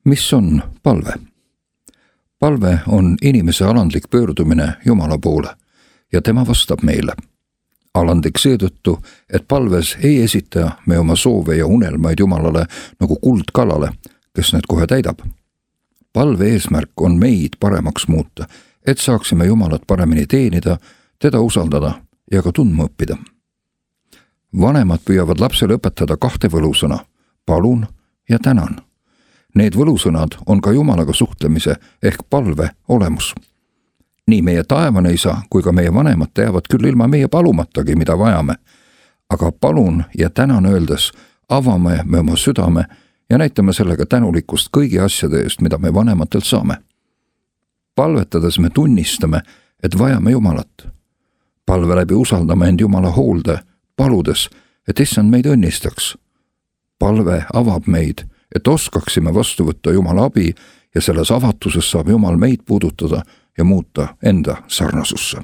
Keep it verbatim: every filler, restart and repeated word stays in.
Mis on palve? Palve on inimese alandlik pöördumine Jumala poole ja tema vastab meile. Alandlik seetõttu, et palves ei esita me oma soove ja unelmaid Jumalale nagu kuldkalale, kes need kohe täidab. Palve eesmärk on meid paremaks muuta, et saaksime Jumalat paremini teenida, teda usaldada ja ka tundma õppida. Vanemad püüavad lapsele õpetada kahte võlusõna, palun ja tänan. Need võlusõnad on ka Jumalaga suhtlemise ehk palve olemus. Nii meie taevane isa kui ka meie vanemad teavad küll ilma meie palumatagi, mida vajame, aga palun ja tänan öeldes avame me oma südame ja näitame sellega tänulikkust kõigi asjade eest, mida me vanematelt saame. Palvetades me tunnistame, et vajame Jumalat. Palve läbi usaldame end Jumala hoolde, paludes, et issand meid õnnistaks. Palve avab meid, et oskaksime vastu võtta Jumala abi ja selles avatuses saab Jumal meid puudutada ja muuta enda sarnasusse.